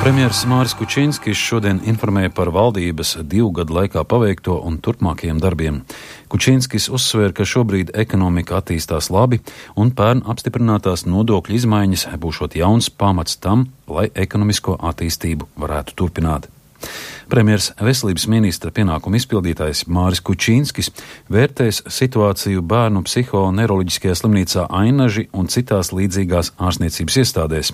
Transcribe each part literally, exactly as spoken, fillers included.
Premjers Māris Kučinskis šodien informēja par valdības divu gadu laikā paveikto un turpmākajiem darbiem. Kučinskis uzsvēra, ka šobrīd ekonomika attīstās labi un pērn apstiprinātās nodokļu izmaiņas būšot jauns pamats tam, lai ekonomisko attīstību varētu turpināt. Premjers veselības ministra pienākumu izpildītājs Māris Kučinskis vērtēs situāciju bērnu psihoneiroloģiskajā slimnīcā Ainaži un citās līdzīgās ārstniecības iestādēs.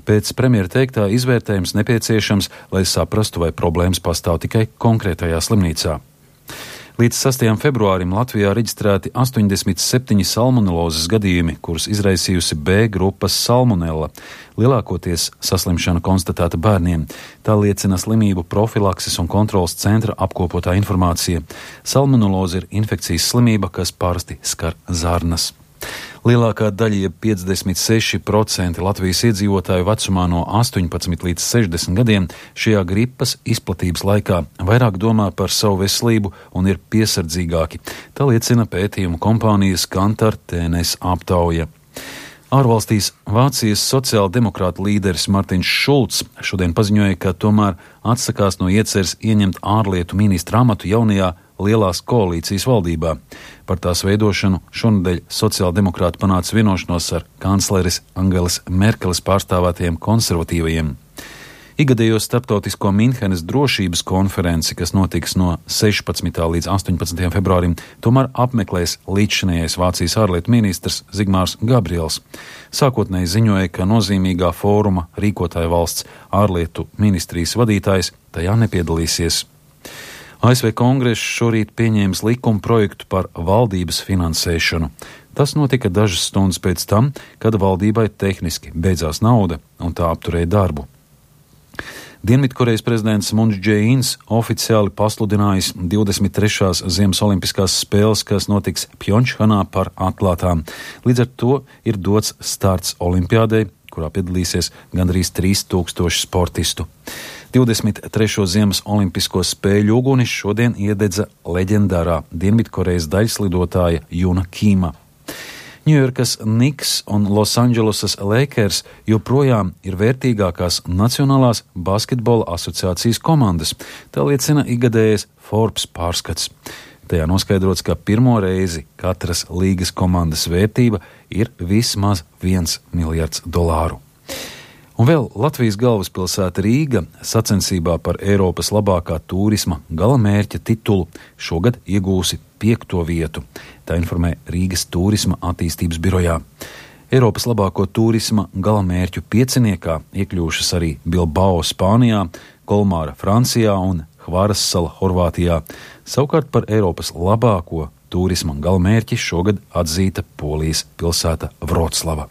Pēc premjera teiktā izvērtējums nepieciešams, lai saprastu, vai problēmas pastāv tikai konkrētajā slimnīcā. Līdz sastajam februārim Latvijā reģistrēti astoņdesmit septiņi salmonelozes gadījumi, kurus izraisījusi B grupas salmonella, lielākoties saslimšana konstatēta bērniem. Tā liecina slimību profilakses un kontrolas centra apkopotā informācija. Salmoneloze ir infekcijas slimība, kas parasti skar zarnas. Lielākā daļa, jeb piecdesmit seši procenti Latvijas iedzīvotāju vecumā no astoņpadsmit līdz sešdesmit gadiem šajā gripas izplatības laikā vairāk domā par savu veselību un ir piesardzīgāki. Tā liecina pētījumu kompānijas Kantar T N S aptauja. Ārvalstīs Vācijas sociāldemokrāta līderis Martins Šulcs šodien paziņoja, ka tomēr atsakās no ieceres ieņemt ārlietu ministra amatu jaunajā lielās koalīcijas valdībā. Par tās veidošanu šonedēļ sociāldemokrāti panāca vienošanos ar kancleres Angelas Merkeles pārstāvētajiem konservatīvajiem. Igadējo starptautisko Minhenes drošības konferenci, kas notiks no sešpadsmitā līdz astoņpadsmitajam februārim, tomēr apmeklēs līdzšinējais Vācijas ārlietu ministrs Zigmārs Gabriels. Sākotnēji ziņoja, ka nozīmīgā fóruma rīkotāja valsts ārlietu ministrijas vadītājs tajā nepiedalīsies. A S V Kongress šorīt pieņēmis likuma projektu par valdības finansēšanu. Tas notika dažas stundas pēc tam, kad valdībai tehniski beidzās nauda un tā apturēja darbu. Dienvidkorejas prezidents Muns Džeīns oficiāli pasludinājis divdesmit trešās Ziemas olimpiskās spēles, kas notiks Pjončhanā, par atklātām. Līdz ar to ir dots starts olimpiādei, kurā piedalīsies gandrīz trīs tūkstoši sportistu. divdesmit trešo Ziemas olimpisko spēļu ugunis šodien iededza leģendārā Dienvidkorejas daļslidotāja Juna Kīma. Ņujorkas Knicks un Losandželosas Lakers joprojām ir vērtīgākās Nacionālās basketbola asociācijas komandas. Tā liecina ikgadējais Forbes pārskats. Tajā noskaidrots, ka pirmo reizi katras līgas komandas vērtība ir vismaz viens miljards dolāru. Un vēl Latvijas galvaspilsēta Rīga sacensībā par Eiropas labākā turisma galamērķa titulu šogad iegūsi piekto vietu. Tā informē Rīgas turisma attīstības birojā. Eiropas labāko turisma galamērķu pieciniekā iekļūšas arī Bilbao Spānijā, Kolmāra Francijā un Hvaras sala Horvātijā. Savukārt par Eiropas labāko turisma galamērķi šogad atzīta Polijas pilsēta Vroclava.